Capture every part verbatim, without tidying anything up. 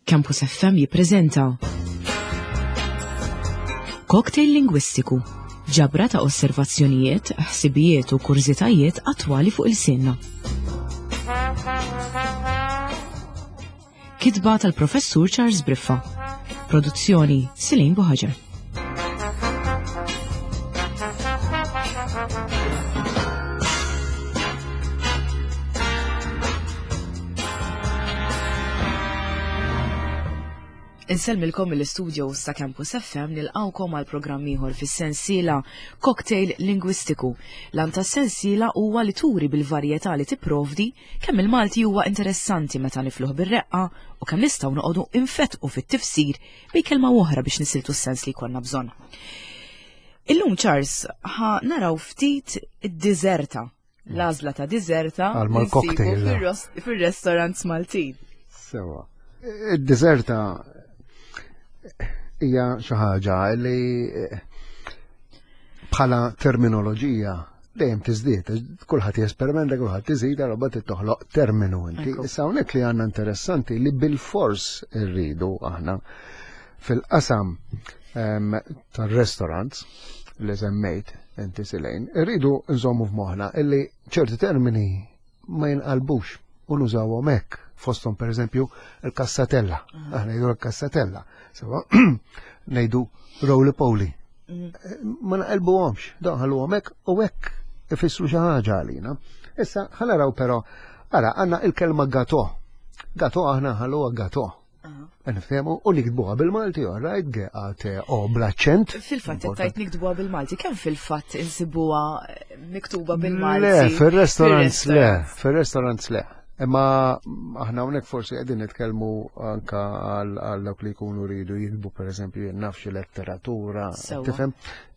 Campus F M jippreżenta Cocktail Lingwistiku, ġabra ta' osservazzjonijiet, ħsibijiet u kurżitajiet attwali fuq ilsienna. Kitba tal-Professur Charles Briffa. Produzzjoni Silin Buħaġar. Insellmilkom mill-istudios ta' Campus F M, nilqawkom għal programm ieħor fis-sensiela Cocktail Lingwistiku. L-għan tas-sensiela huwa li turi bil-varjetà li tipprovdi kemm il-Malti huwa interessanti meta nifluh bir-reqqa u kemm nistgħu noqogħdu infetqu fit-tifsir bejn kelma oħra biex nisiltu s-sens li jkollna bżonn. Illum, Charles, ħa naraw ftit id-diżerta, l-għażla ta' diżerta Għal mal-cocktail. Fir-restaurants Maltin. Sewa. Id-diżerta hija xi ħaġa li eh, bħala terminoloġija dejjem tiżdied, kulħadd jesperimenta, kulħadd iżid, allura trid toħloq terminu inti. Ekku. Issa hawnhekk li għandna interessanti li bil-fors irridu aħna fil-qasam em, tar-restaurants li semmejt inti, Silejn, irridu nżommu f'moħħna illi ċerti termini ma jinqalbux u nużawhom hekk, fosthom pereżempju il-kassatella. Aħna ngħidu l-kassatella. Sewa ngħidu roly poly. Ma naqilbuhomx, dawn ħalluhom hekk u hekk ifissru xi ħaġa għalina. Issa ħa naraw però, ara, għandna il-kelma gato. Gato aħna ħalluha gato. Nifhemu u niktbuha bil-Malti, all right, G A T O bl-aċċent. Fil-fatt Important. tajt niktubuha bil-Malti, kemm fil-fatt insibuha miktuba bil-Malti? Le, fil-restaurants le, Fil-restaurants. Fil-restaurants le. Imma aħna hawnhekk forsi qegħdin nitkellmu anka għal għal dawk li jkunu rridu jiktbu, pereżempju, jien naf, xi letteratura, Sewwa. tifhem,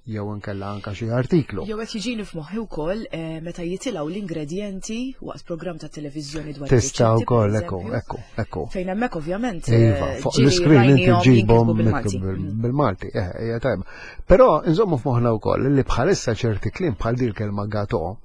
jew inkella anka xi artiklu. Jew qed jiġini f'moħħi wkoll eh, meta jitilgħu l-ingredjenti waqt programm ta' televiżjoni dwar Tista' ir-riċetti, wkoll, per ekku, eżempju, ekku, ekku. fejn hemmhekk ovvjament Iva, eh, fuq ġieli l-iskrin inti rajnihom ġibhom jinkitbu bil-Malti. miktub Mm. bil-Malti, eh, hija tajba. Però nżommu f'moħħna wkoll li bħalissa ċerti kliem bħal din kelma gato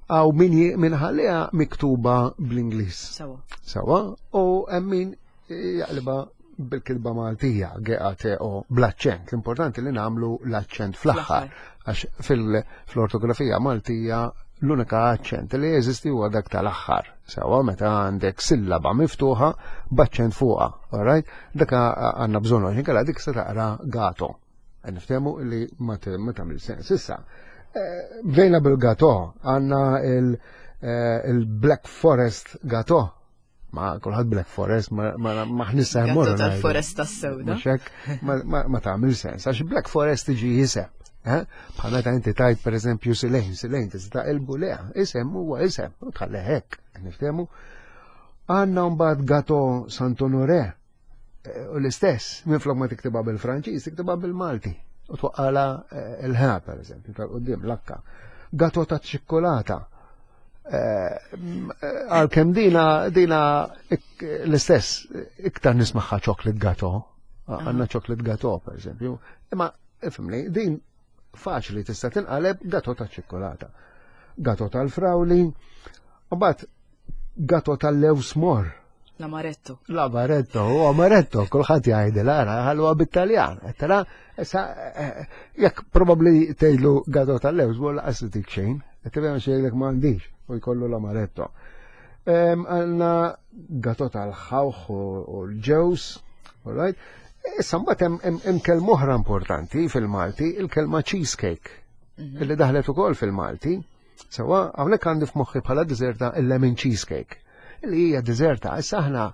għaw min ji- min ħalliha miktuba bl-Ingliż. Sewa. Sawa, u hemm min jaqliba bil-kilba Maltija, G A T O, bl-aċċent. L-importanti li nagħmlu l-aċċent fl-aħħar, għax fil-ortografija Maltija l-unika aċċent li jeżisti huwa dak tal-aħħar. Sawa, meta għandek sillaba miftuħa b'aċċent fuqha, all right? Dak għandna bżonn, għax inkella dik se taqra gato. Niftehmu li ma t- ma tagħmel sens. Issa, eh, bdejna bil-gato, għandna il- eh, il-Black Forest gato. Ma kulħadd Black Forest, ma ma ma ħnissa Gato mmorru ngħidu. tal-foresta s-sewda. Mhux hekk, ma, ma, ma tagħmel sens, għax Black Forest tiġi isem. Eh? Bħal meta inti tajt, pereżempju, Silejn, Silejn tista' taqilbu le, isem huwa isem, u tħalli hekk, niftehmu. Għandna mbagħad gato Sant'Onoré, eh, u l-istess, minflok ma tiktibha bil-Franċiż, tiktibha bil-Malti. U twaqqala eh, il-ħa, per eżempju, tal-qudiem, l-akka. Gato ta' ċikkolata. Għalkemm dina, dina ik- l-istess, iktar nismagħha chocolate gato. Għandna chocolate gato, per eżempju. Imma, ifhimni, din faċli tista' tinqaleb gato ta' ċikkolata. Gato tal-frawli, u mbagħad gato tal-lewż morr. L-amaretto. L-amaretto, u amaretto, kulħadd jgħidil, ara, ħalluha bit-Taljan. Tara, issa, eh, jekk probabbli tgħidlu gato tal-lewż, u lanqas tik xejn, tifhem, xejn m'għandix, u jkollu l-amaretto. Em, Għandna gato tal-ħawħ u u l-ġews, all right? Issa mbagħad hemm- hemm hemm kelma oħra importanti fil-Malti, il-kelma cheesecake, illi daħlet ukoll fil-Malti. Sewa, hawnhekk għandi f'moħħi bħala diżerta il-lemon cheesecake. Li hija diżerta, issa aħna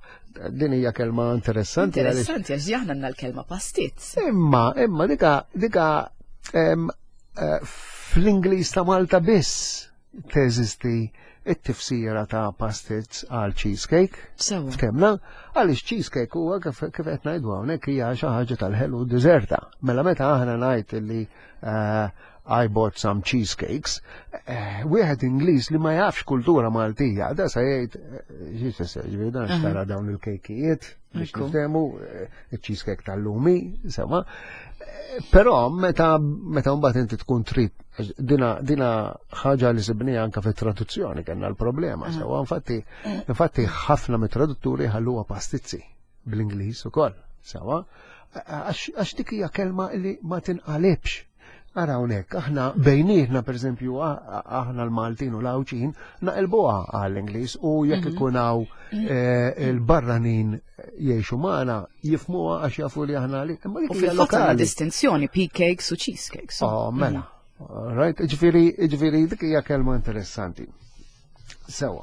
din hija kelma interessanti għaliex Interessanti għax aħna għandna l-kelma pastizz. Imma, imma dika, dika em, eh, fl-Ingliż ta' Malta biss teżisti it-tifsira ta' pastizz għal cheesecake. Sewa. Ftehmna, għaliex cheesecake huwa kif kif qed ngħidu hawnhekk hija xi ħaġa tal-ħelu, diżerta. Mela meta aħna ngħid li eh, "I bought some cheesecakes", eh, wieħed Ingliż li ma jafx kultura Maltija, da sa jgħid eh, xi tfisser, ġifieri dan xtara dawn il-kejkijiet biex Ekku. niftehmu, eh, il-cheesecake tal-lumi, sewwa. Eh, Però meta meta mbagħad inti tkun trid għax dina dina ħaġa li sibnija anka fit-traduzzjoni kellna l-problema, sewwa, infatti infatti ħafna mit-tradutturi ħalluha pastizzi. bl-Ingliż ukoll, sewa, għax dik hija kelma li ma tinqalibx. Ara hawnhekk, aħna bejnietna pereżempju aħna l-Maltin u l-Għawdxin naqilbuha għall-Ingliż u jekk mhm. ikun hawn eh, il-barranin jgħixu magħna jifhmuha għax jafu li aħna li. Imma dik hija lokali. Distinzjoni pea cakes u cheesecakes. Oh, mela. Mhm. Right, ġifieri, ġifieri dik hija kelma interessanti. Sewa.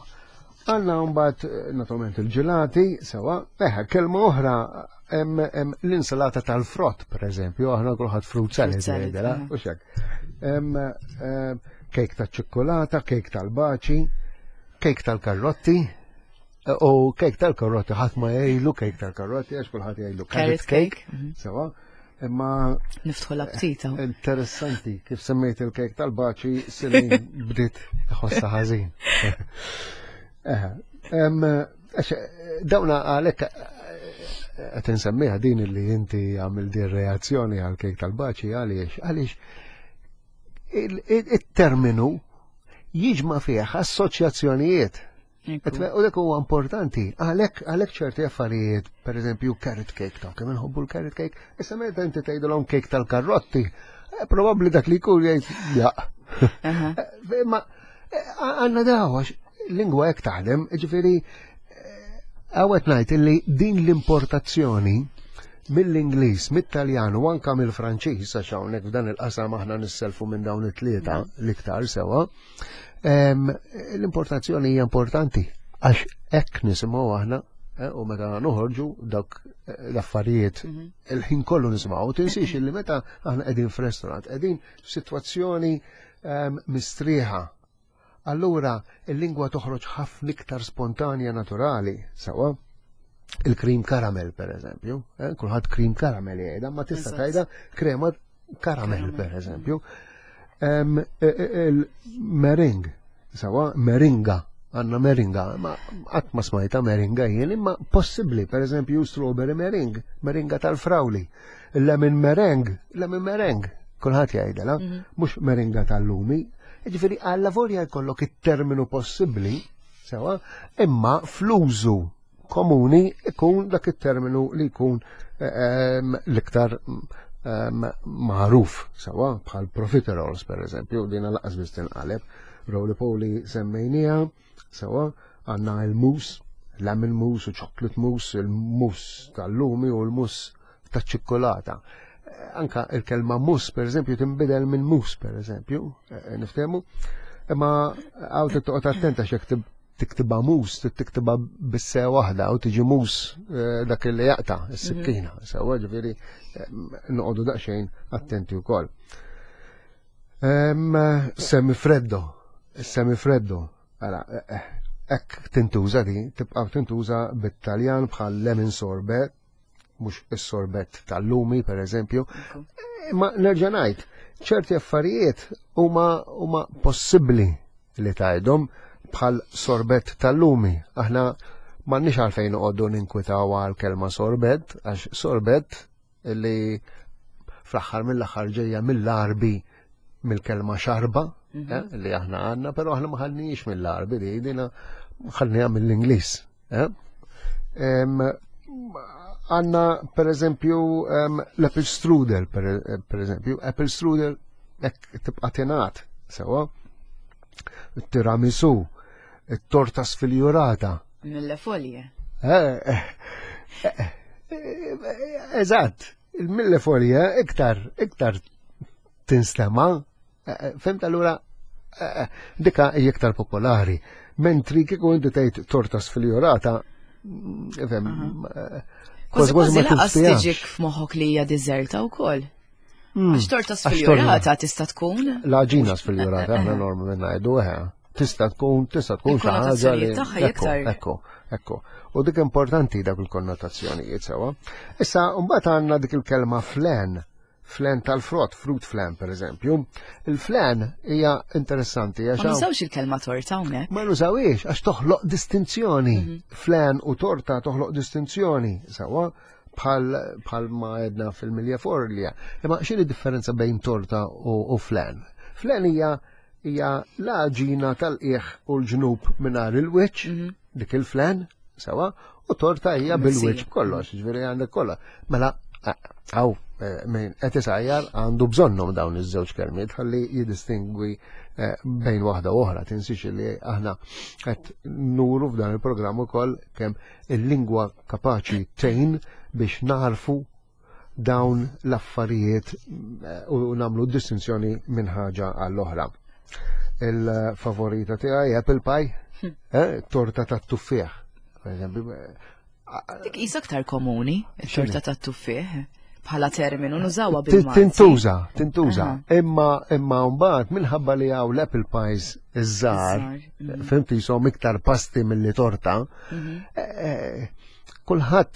Għandna mbagħad eh, naturalment il-ġelati, sewa, eħe, kelma oħra l-insalata tal-frott, per eżempju, aħna kulħadd fruit salad jgħidilha, u xek. Kejk ta' ċikkolata, kejk tal-baċi, kejk tal-karrotti, u kejk tal-karrotti ħadd ma jgħilu kejk tal-karrotti għax kulħadd jgħilu carrot cake, mhm. sewa. Imma niftħu l-aptita. Interessanti kif semmejt il-kejk tal-baċi Silin bdiet ħossa ħażin. Dawna għalek qed insemmiha din li inti għamil din reazzjoni għal kejk tal-baċi għaliex għaliex il-terminu jiġma fih assoċjazzjonijiet. U dak huwa importanti, għalhekk għalhekk ċerti affarijiet, per eżempju carrot cake, ta' kemm inħobbu l-carrot cake, issa meta inti tgħidulhom cake tal-karrotti, eh, probabbli dak li jkun jgħid ja. Eh, ma eh, għandna daw għax lingwa hekk taħdem, ġifieri għawet ngħid illi din l-importazzjoni mill-Ingliż, mit-Taljan u anka mill-Franċiż, għax hawnhekk f'dan il-qasam aħna nisselfu minn dawn it-tlieta l-iktar sewa, l-importazzjoni hija importanti għax hekk nisimgħu aħna eh, u meta noħorġu dawk eh, l-affarijiet mhm. il-ħin kollu nisimgħu. Tinsiex illi meta aħna qegħdin f'restaurant, qegħdin f'sitwazzjoni mistrieħa. Allura il-lingwa toħroġ ħafna iktar spontanja naturali, sewa. Il-cream caramel, per eżempju, eh, kulħadd cream caramel jgħidha, ma tista' tgħidha krema caramel, per eżempju. E, e, il-meringue, sewa, meringa, għandna meringa, ma qatt ma smajta meringa jien, imma possibbli, per eżempju, strawberry meringue, meringa tal-frawli, lemon meringue, lemon meringue, kulħadd jgħidela, mhm. mhux meringa tal-lumi. Ġifieri għalla volja jkollok it-terminu possibbli, sewa, imma fl-użu komuni ikun dak it-terminu li jkun ehm, l-iktar ehm, magħruf, sewa, bħal profiteroles per eżempju, din lanqas biss tinqaleb, roly poly semmejnija, sewa, għandna il-mousse, lemon mousse u chocolate mousse, il-mousse tal-lumi u l-mousse tal-ċikkolata. Anka il-kelma mousse, per eżempju, tinbidel minn mus, per eżempju, eh, niftehmu. Imma għaw toqgħod attenta x'jekk tiktibha mus, tiktibha bis-se waħda u tiġi mus eh, dak li jaqta' is-sikkina. Mhm. Sewa ġifieri eh, noqogħdu daqsxejn attenti wkoll. Semifreddo, semifreddo, ara, hekk tintuża di, tibqa' tintuża bit-Taljan bħal lemon sorbet, mhux is-sorbet tal-lumi per eżempju. Ma nerġa' ngħid, ċerti affarijiet huma huma possibbli li tgħidhom bħal sorbet tal-lumi. Aħna m'għandniex għalfejn noqogħdu ninkwitaw għal kelma sorbet, għax sorbet li fl-aħħar mill-aħħar ġejja mill-Arbi mill-kelma xarba mhm. eh, li aħna għandna, però aħna ma ħadniex mill-Arbi li dina ħadniha mill-Ingliż. Eh? Għandna per eżempju l-apple strudel, per eżempju, apple strudel hekk tibqa' tingħad sewa. Tiramisu, it-torta sfiljurata. Mille foglie. Eh, eżatt, il-mille foglie iktar, iktar tinstema, fimt allura dika hija iktar popolari. Mentri kieku inti tgħid torta sfiljurata, fem, Kważi kważi lanqas tiġik f'moħħok li hija deżerta wkoll. Hmm. Għax torta sfiljurata tista' tkun? L-għaġina sfiljurata, aħna normalment ngħidu eħe. Tista' tkun, tista' tkun xi ħaġa li. Ekku, ekku, ekku. U dik importanti dak il-konnotazzjonijiet sewa. Issa mbagħad għandna dik il-kelma flan, flan tal-frott, fruit flan per eżempju. Il-flan hija interessanti għax. Ma nużawx il-kelma torta hawnhekk. Ma nużawiex għax toħloq distinzjoni. Mhm. Flan u torta toħloq distinzjoni sewa bħal bħal ma għedna fil-mille foglie. Imma x'inhi differenza bejn torta u, u flan? Flan hija hija l-għaġina tal-qiegħ u l-ġnub mingħajr il-wiċċ, mhm. dik il-flan, sewa, u torta hija bil-wiċċ b'kollox, ġifieri għandek kollha. Mela, hawn min qed isajjar għandu bżonnhom dawn iż-żewġ kelmiet ħalli jiddistingwi bejn waħda u oħra. Tinsix li aħna qed nuru f'dan il-programm ukoll kemm il-lingwa kapaċi tgħin biex narfu dawn l-affarijiet u nagħmlu distinzjoni minn ħaġa għall-oħra. Il-favorita tiegħi apple pie, eh, torta tat-tuffieħ. Per eżempju, Dik qisha aktar komuni, it-torta tat-tuffieħ, bħala terminu nużawha bil-Malti. Tintuża, tintuża. Imma imma mbagħad minħabba li hawn l-apple pies iż-żgħar, mhm. fhimt jisom iktar pasti milli torta, Mhm. eh, kulħadd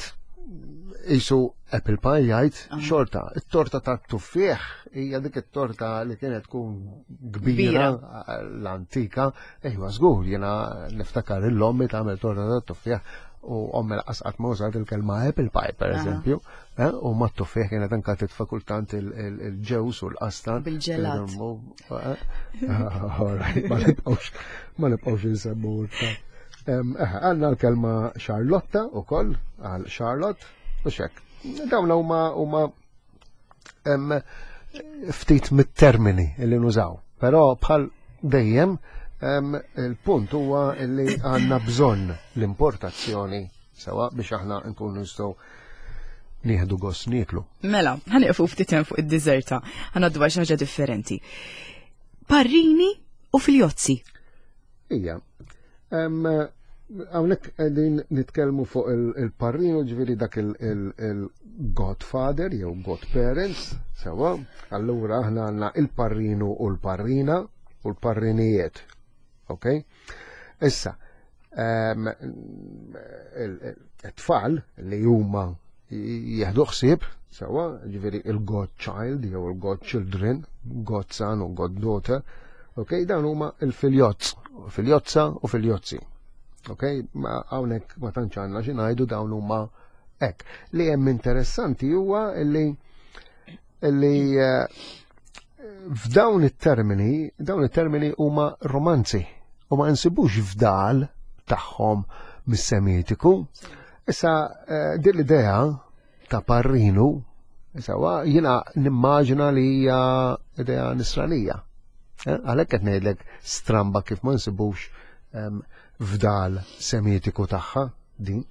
jisu apple pie jgħid xorta. It-torta tat-tuffieħ hija dik it-torta li kienet tkun kbira l-antika. Ejwa żgur, jiena niftakar l-ommi tagħmel torta tat-tuffieħ u ommi lanqas qatt ma użat il-kelma apple pie per eżempju, eh, u ma t-tuffieħ kienet anka titfa' kultant il-ġewż u l-qastan. Bil-ġelat. All right, ma nibqgħux ma nibqgħux insemmu. Għandna l-kelma Charlotta u koll, għal Charlotte, u xek. Dawn huma huma ftit mit-termini li nużaw. Però bħal dejjem il-punt huwa li għandna bżonn l-importazzjoni sewa biex aħna nkunu nistgħu nieħdu gost nieklu. Mela, ħa nieqfu ftit hemm fuq id-diżerta, ħa ngħaddu xi ħaġa differenti. Parrini u filjozzi. Ija. Hawnhekk qegħdin nitkellmu fuq il-parrinu, ġifieri dak il-godfather jew godparents, sewa. Allura aħna għandna il-parrinu u l-parrina u l-parrinijiet. Ok? Issa, it-tfal li huma jieħdu ħsieb, sewa, ġifieri il-godchild jew il-godchildren, godson u goddaughter, ok, dawn huma il-filjozz, filjozza u filjozzi. Ok, ma hawnhekk ma tantx għandna xi ngħidu, dawn huma hekk. Li hemm interessanti huwa li li eh, f'dawn it-termini, dawn it-termini huma romanzi u ma nsibux fdal tagħhom mis-Semitiku. Issa eh, din l-idea ta' parrinu, issa jiena nimmaġina li hija idea nisranija. Eh, għalhekk qed ngħidlek stramba kif ma nsibux fdal Semitiku tagħha din.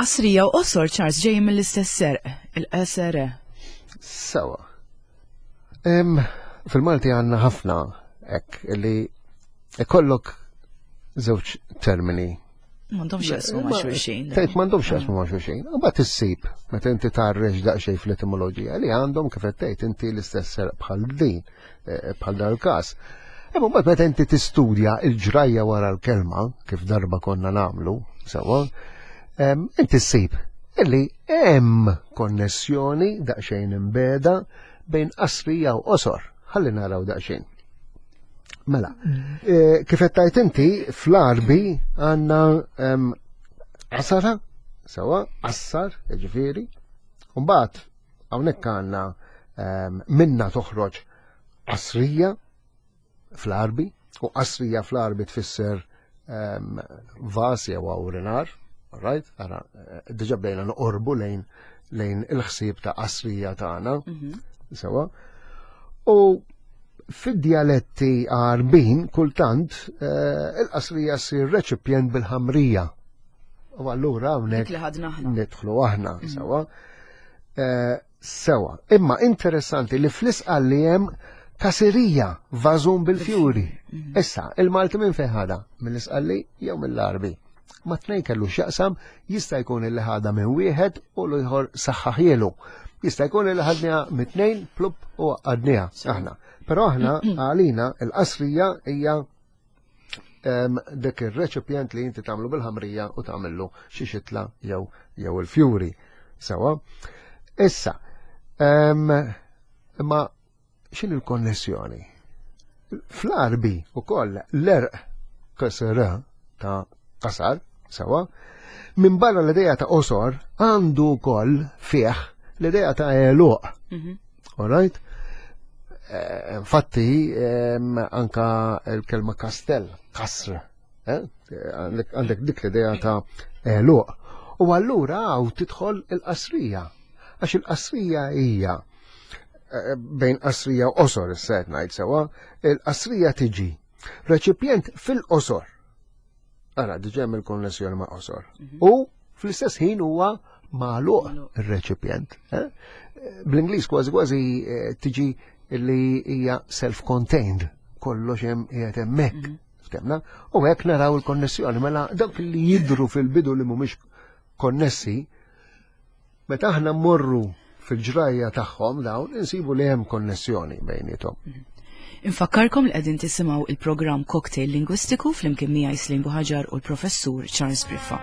Qasrija u qosor, Charles, ġej mill-istess għerq, il-qasr. Sewa. Fil-Malti għandna ħafna hekk li ikollok żewġ termini. M'għandhomx jaqsmu ma' xulxin. Tgħid m'għandhomx jaqsmu ma' xulxin. U mbagħad issib meta inti tgħarrex daqsxejn fl-etimoloġija li għandhom, kif qed tgħid inti, l-istess għerq bħal din, eh, bħal dal-każ. Imma mbagħad meta inti tistudja il-ġrajja wara l-kelma, kif darba konna nagħmlu, sewa, inti ssib illi hemm konnessjoni daqsxejn imbegħda bejn qasrija u qosor. Ħalli naraw daqsxejn. Mela, eh, kif qed tgħid inti, fl-Arbi għandna qasara, sewa, qassar, ġifieri. Mbagħad hawnhekk għandna minna toħroġ qasrija fl-Arbi, u qasrija fl-Arbi tfisser vas jew awrinar, right? Ara, eh, diġa bdejna noqorbu lejn lejn il-ħsieb ta' qasrija tagħna, mhm. sewa. U fid-dialetti Għarbin kultant eh, il-qasrija ssir reċipjent bil-ħamrija. U allura hawnhekk nidħlu aħna mhm. sewa. Eh, sewa. Imma interessanti li fl-Isqalli hemm kasirija, vażun bil-fjuri. Mhm. Issa, il-Malti minn fejn ħadha? Mill-Isqalli jew mill-Arbi? Ma tnejn kellu x'jaqsam, jista' jkun illi ħadha minn wieħed u l-ieħor saħħaħielu. Jista' jkun illi ħadniha mit-tnejn plup u għadniha aħna. Però aħna għalina il-qasrija hija dik ir-reċipjent li inti tagħmlu bil-ħamrija u tagħmillu xi xitla jew jew il-fjuri. Sewa. Issa, imma x'in il-konnessjoni? Fl-Arbi ukoll l-għerq K S R ta' qasar, sewa, minn barra l-ideja ta' qosor għandu wkoll fih l-ideja ta' għeluq. Mhm. All right? Eh, Infatti, anka il-kelma kastell, kasr, eh? Għandek dik l-ideja ta' għeluq. U allura hawn tidħol il-qasrija. Għax il-qasrija hija eh, bejn qasrija u qosor issa qed ngħid sewwa, il-qasrija tiġi reċipjent fil-qosor. Ara, diġà hemm il-konnessjoni ma' qosor. U fl-istess ħin huwa magħluq ir-reċipjent. eh? Bl-Ingliż kważi kważi eh, tiġi li hija self-contained, kollox hemm qiegħed hemmhekk. Ftemna? U hekk naraw il-konnessjoni, mela dawk li jidru fil-bidu li mhumiex konnessi, meta aħna mmorru fil-ġrajja tagħhom dawn insibu li hemm konnessjoni bejniethom. Infakkarkom li qegħdin tisimgħu il-programm Cocktail Lingwistiku flimkien miegħi Slim Buhaġar u l-Professur Charles Briffa.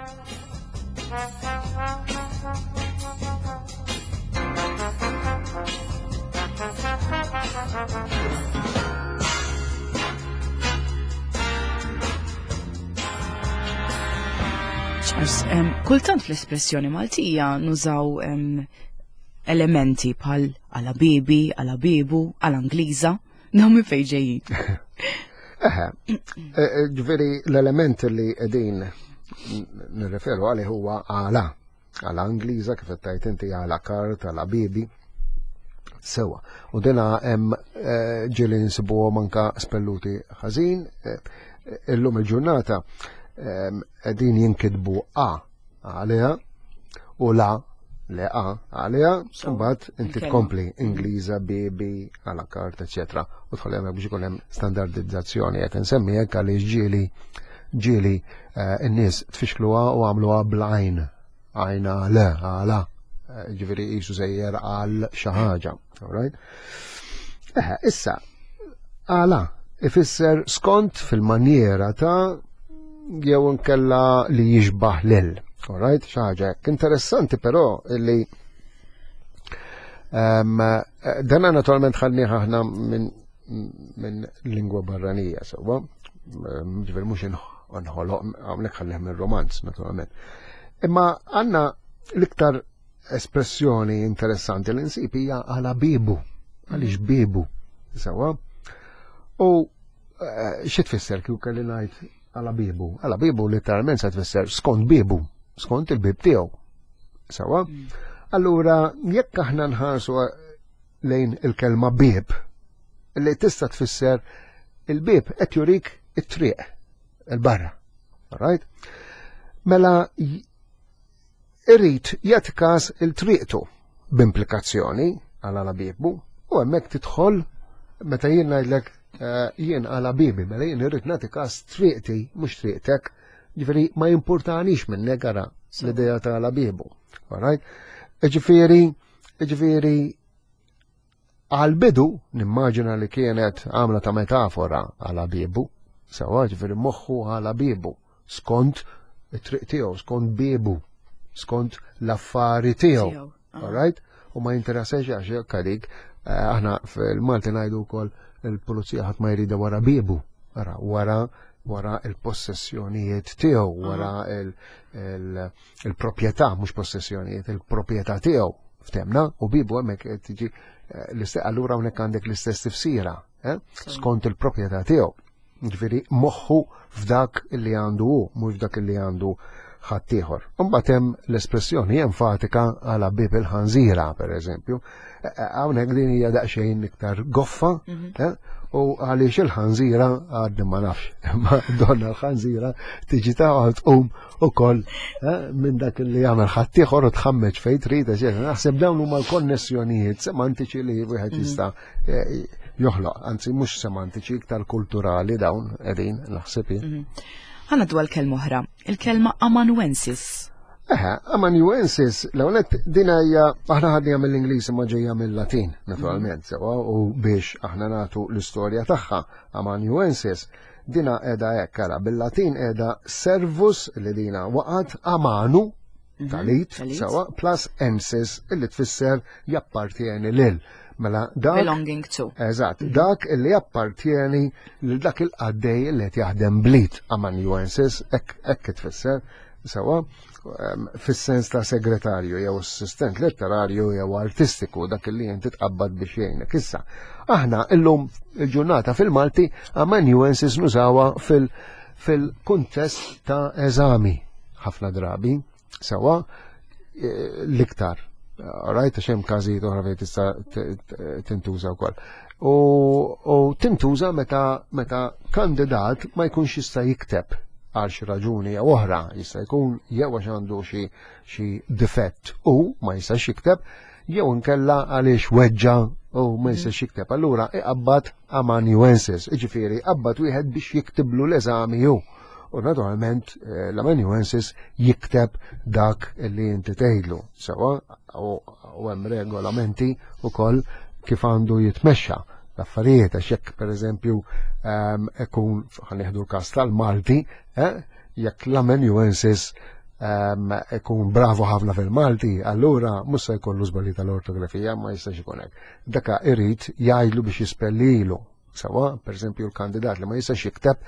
Charles, em, kultant fl-espressjoni Maltija nużaw em, elementi bħal għala bibi, għala bibu, għala Ingliża, dawn minn fejn ġejjin. Eħe, eh, eh, ġifieri l-element li qegħdin nirreferu għalih huwa għala, għala Ingliża kif qed tgħid inti għala kart, għala bibi. Sewa. U dina hemm eh, ġieli nsibuhom anka spelluti ħażin. eh, Illum il-ġurnata ehm, qegħdin jinkitbu A għaliha u la le A għaliha, mbagħad inti il-kelma. tkompli Ingliża, B, B, għala kart, eċetera. U tħolli hemmhekk biex ikun hemm standardizzazzjoni qed insemmi hekk għaliex ġieli ġieli eh, n-nies tfixkluha u għamluha bl-għajn. Għajna le, għala. Eh, Ġifieri qisu sejjer għal xi ħaġa. All right? Eħe, issa, għala ifisser skont fil-manjera ta' jew inkella li jixbaħ lil. All right? Xi ħaġa hekk. Interessanti però illi um, dana naturalment ħadnieh aħna minn min lingwa barranija, sewwa. Ġifieri mhux nħoloq, hawnhekk ħadnieh minn romanz, naturalment. Imma għandna l-iktar espressjoni interessanti li nsib hija għala bibu, għaliex bibu, sewwa. U eh, xi tfisser kieku kelli ngħid għala bibu? Għala bibu letteralment se tfisser skont bibu, skont il-bib tiegħu. Sewwa? Allura, jekk aħna nħarsu lejn il-kelma bib, li tista' tfisser il-bib qed jurik it-triq, il-barra. All right? Mela j- irrid jagħti każ il-triqtu b'implikazzjoni għal għala bibu u hemmhekk tidħol meta jien ngħidlek eh, jien għala bibi, mela jien irrid nagħti każ triqti mhux triqtek, ġifieri ma jimpurtanix minnek ara l-idea ta' għala bibu. All right? Ġifieri, ġifieri għal-bidu nimmaġina li kienet għamla ta' metafora għala bibu, sewwa ġifieri moħħu għala bibu, skont it-triq tiegħu, skont bibu, skont l-affari tiegħu. Tiegħu, ah. All right? U ma jinteressax għax jekk għalik, eh, aħna fil-Malti ngħidu wkoll il-pulizija ħadd ma jrida wara bibu, ara wara wara il-possessjonijiet tiegħu, wara il- il- il-proprjetà, mhux possessjonijiet, il-proprjetà tiegħu. Ftemna, u bibu hemmhekk qed tiġi eh, l-istess, allura hawnhekk għandek l-istess tifsira, eh? Skont il-proprjetà tiegħu. Ġifieri moħħu f'dak li għandu hu, mhux f'dak li għandu ħaddieħor. Imbagħad hemm l-espressjoni enfatika għala bib il-ħanżira, per eżempju. Eh, eh, Hawnhekk din hija daqsxejn iktar goffa, eh, u għaliex il-ħanżira għadni ma nafx, imma donna l-ħanżira tiġi ta' tqum ukoll eh, minn dak li jagħmel ħaddieħor u tħammeġ fejn trid, eċetera. Naħseb dawn huma l-konnessjonijiet semantiċi li wieħed jista' eh, joħloq, anzi mhux semantiċi, iktar kulturali dawn qegħdin naħseb jien. Ħa ngħaddu għal kelma oħra, il-kelma amanuensis. Eħe, amanuensis, l-għonet dina hija, aħna ħadniha mill-Ingliż imma ġejja mill-Latin, naturalment, sewwa, u biex aħna nagħtu l-istorja tagħha, amanuensis, dina qiegħda hekk, ara, bil-Latin qiegħda servus li dina waqgħet amanu, talit, talit. sewwa, plus ensis, illi tfisser jappartieni lil. Mela dak Belonging to. Eżatt, dak illi jappartieni lil dak il-qaddej li qed jaħdem blit amanuensis, hekk hekk tfisser, sewwa, em, fis-sens ta' segretarju jew assistent letterarju jew artistiku, dak li inti tqabbad biex jgħinek. Issa, aħna illum il-ġurnata fil-Malti amanuensis nużawha fil- fil-kuntest ta' eżami. ħafna drabi, sewa eh, l-iktar. Right, għax hemm każijiet oħra fejn tista' tintuża wkoll. U, u tintuża meta meta kandidat ma jkunx jista' jikteb għal xi raġuni jew oħra, jista' jkun jew għax għandu xi xi difett u ma jistax jikteb, jew inkella għaliex weġġa u ma jistax jikteb. Allura iqabbad amanuensis, jiġifieri qabbad wieħed biex jiktiblu l-eżami hu. U naturalment eh, l-amanuensis jikteb dak li inti tgħidlu. Sewa u hemm regolamenti wkoll kif għandu jitmexxa l-affarijiet, għax jekk pereżempju ehm, ikun ħa nieħdu l-każ tal-Malti, eh, jekk l-amanuensis ehm, ikun bravo ħafna fil-Malti, allura mhux se jkollu żbalji tal-ortografija, ma jistax ikun hekk. Daka irid jgħidlu biex jispellilu. Sewa, per eżempju, l-kandidat li ma jistax jikteb,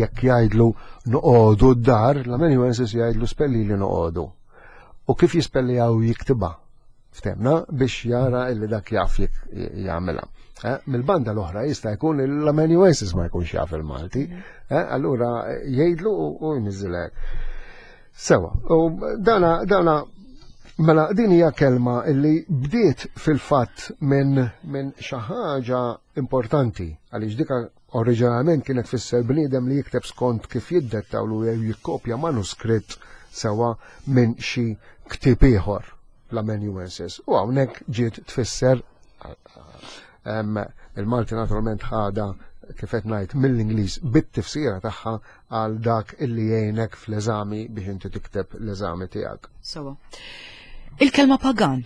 jekk jgħidlu "noqogħdu d-dar", l-amanuensis jgħidlu "spelli li noqogħdu". U kif jispellijaw jiktibha. Ftemna biex jara illi dak jaf jagħmilha. Eh, Mill-banda l-oħra jista' jkun l-amanuensis ma jkunx jaf il-Malti, eh, allura jgħidlu u jniżilek. Sewa, u dana dana mela din hija kelma illi bdiet fil-fatt minn min xi ħaġa importanti, għaliex dika oriġinalment kienet tfisser bniedem li jikteb skont kif jiddettawlu jew jikkopja manuskritt, sewa, minn xi ktieb ieħor, l-amanuensis. U hawnhekk ġiet tfisser, il-Malti naturalment ħada, kif qed ngħid, mill-Ingliż bit-tifsira tagħha għal dak illi jgħinek fl-eżami biex inti tikteb l-eżami tiegħek. Sewa. Il-kelma pagan.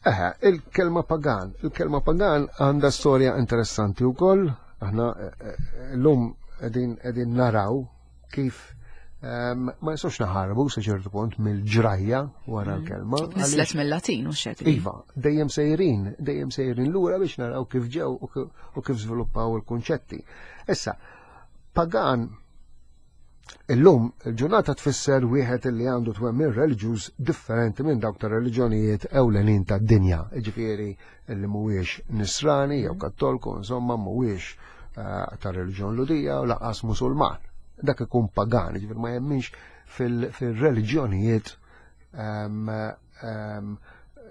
Eħe, il-kelma pagan. Il-kelma pagan għandha storja interessanti wkoll. Aħna eh, eh, llum qegħdin qegħdin naraw kif ehm, ma nistgħux naħarbu sa ċertu punt mill-ġrajja wara mm. l-kelma. Nislet mill-Latin u xek. Iva, dejjem sejrin, dejjem sejrin lura biex naraw kif ġew u kif żviluppaw il-kunċetti. Issa, pagan illum il-ġurnata tfisser wieħed li għandu twemmin reliġjuż differenti minn dawk ta' reliġjonijiet ewlenin tad-dinja. Ġifieri li mhuwiex Nisrani jew Kattolku, insomma mhuwiex eh, ta' reliġjon Lhudija u lanqas Musulman. Dak ikun pagan, ġifieri ma jemminx fil-reliġjonijiet ehm, ehm,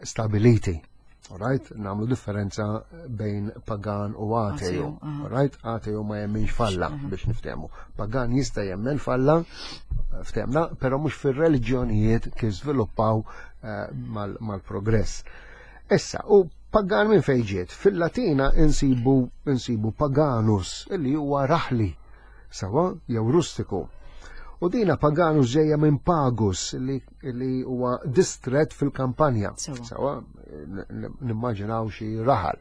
stabiliti. Alright, nagħmlu differenza bejn pagan u ateu. Alright, ateu ma jemminx f'Alla, biex niftehmu. Pagan jista' jemmen f'Alla, ftehmna, però mhux fir-reliġjonijiet kif żviluppaw eh, mal-progress. Issa, u pagan minn fejn ġiet? Fil-Latina insibu insibu paganus, illi huwa raħli, sewa, jew rustiku. U dina paganus ġejja minn pagus li, li huwa distret fil-kampanja. Sewa, nimmaġinaw xi raħal.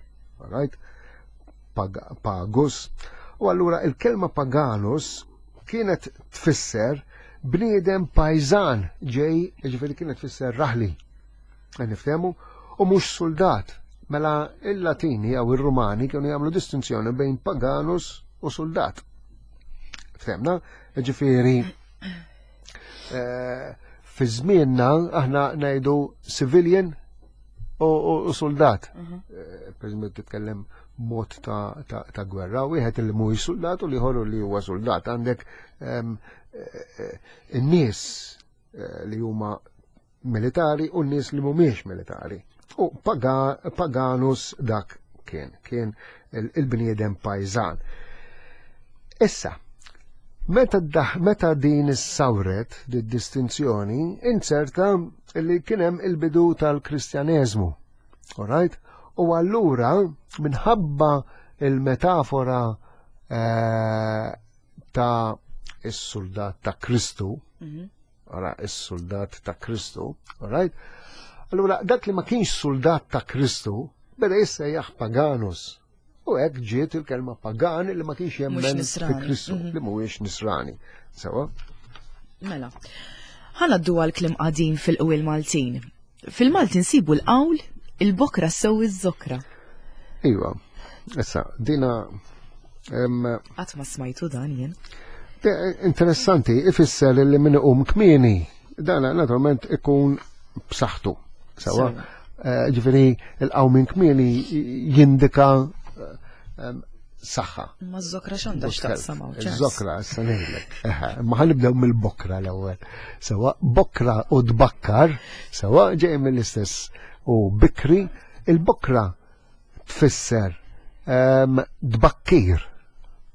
Right? Pag pagus. U allura il-kelma paganus kienet tfisser bniedem pajżan ġej, ġifieri kienet tfisser raħli. Niftehmu? U mhux soldat. Mela il-Latini jew ir-Rumani kienu jagħmlu distinzjoni bejn paganus u soldat. Ftehmna? Ġifieri eh, fi żmienna aħna ngħidu civilian u soldat. Mhm. Eh, per eżempju titkellem mod ta', ta, ta gwerra, wieħed li mhuwiex soldat u l-ieħor li huwa soldat. Għandek ehm, eh, in-nies li huma militari u n-nies li mhumiex militari. U paganus dak kien, kien il-bniedem pajżan. Issa, meta, meta din is-sawret, di distinzjoni, inserta li kien hemm il-bidu tal-Kristjaneżmu. Alright? U allura, minħabba il-metafora eh, ta' is-soldat ta' Kristu, mhm. Ara, is-soldat ta' Kristu, alright? Allura, dak li ma kienx soldat ta' Kristu, beda jissejjaħ paganus. U hekk ġiet il-kelma pagan li ma kienx jemmen fi Kristu, mhm. li mhuwiex Nisrani. Sewa? Mela. Ħa ngħaddu għal kliem qadim fil-qwiel Maltin. Fil-Malti nsibu l-qawl "il-bokra ssewwi z-zokra". Iva, issa, dina. Qatt ma smajtu dan jien. Interessanti, ifisser li min iqum kmieni, dana naturalment ikun b'saħħtu. Sewa, eh, ġifieri il-qawmien kmieni jindika saħħa. Ma z-zokra x'għandha x'taqsam hawn? Iż-żokra issa ngħidlek. Ma ħanibdew mill-bokra l-ewwel. Sewa bokra u tbakkar, sewa ġej mill-istess u bikri, il-bokra tfisser ehm, tbakkir.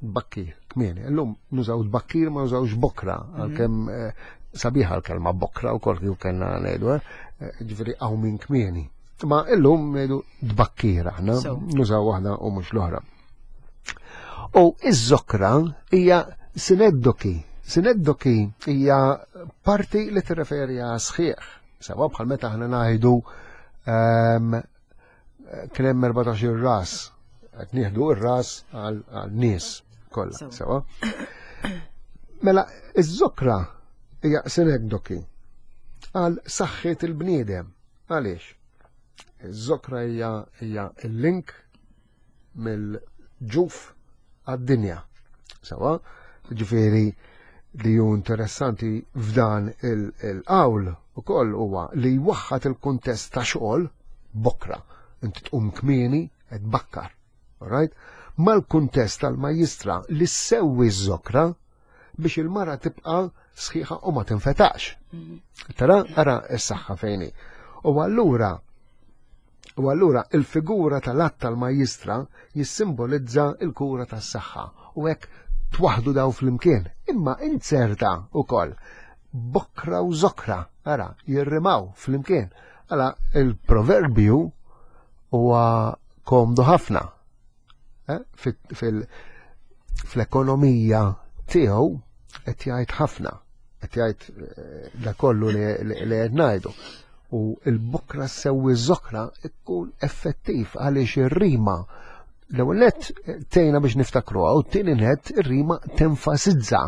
Tbakkir, kmieni. Illum nużaw tbakkir ma nużawx bokra, mhm. għalkemm eh, sabiħa l-kelma bokra u kol kif kellna ngħidu, eh, ġifieri hawn minn kmieni. Ma illum ngħidu tbakkir aħna, nużaw waħda u mhux l-oħra. U iż-żokra hija sineddoki. Sineddoki hija parti li tirreferi għal sħiħ. Sewa bħal meta aħna ngħidu ehm, kien hemm erbatax-il ras, qed nieħdu r-ras għal nies kollha, sewa. Mela iż-żokra hija sineddoki għal saħħet il-bniedem. Għaliex? Iż-żokra hija hija il-link mill-ġuf għad-dinja. Sewa, ġifieri li ju interessanti f'dan il-qawl ukoll huwa li jwaħħad il-kuntest ta' xogħol bokra. Inti tqum kmieni qed bakkar. Alright? Mal-kuntest tal-majjistra li ssewwi ż-żokra biex il-mara tibqa' sħiħa u ma tinfetax. Mhm. Tara, ara s-saħħa fejni. U allura U allura il-figura tal-att tal-majjistra jissimbolizza il-kura tas-saħħa u hekk twaħdu daw flimkien. Imma inzerta ukoll bokra u zokra, ara, jirrimaw flimkien. Għala il-proverbju huwa komdu ħafna. Eh? Fl-ekonomija tiegħu qed jgħid ħafna, qed jgħid eh, da kollu li qed ngħidu. U l-bokra sewwi zokra ikkun effettiv għaliex ir-rima l-ewwel nett tgħinna biex niftakruha u t-tieni nett ir-rima tenfasizza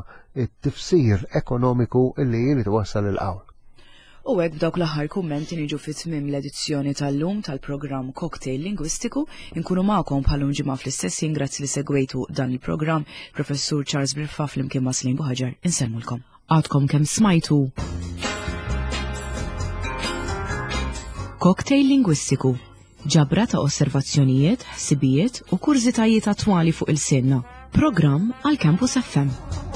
it-tifsir ekonomiku li jrid iwassal il-qawl. U hekk b'dawk l-aħħar kummenti niġu fi tmiem l-edizzjoni tal-lum tal-programm Cocktail Lingwistiku. Inkunu magħkom bħalum ġimgħa fl-istess ħin, grazzi li segwejtu dan il-programm. Professur Charles Briffa flimkien ma' Slim Buħaġar insellmulkom. Għadkom kemm smajtu Cocktail Lingwistiku, ġabra ta' osservazzjonijiet, ħsibijiet u kurżitajiet attwali fuq il-sinna. Programm għal Campus F M.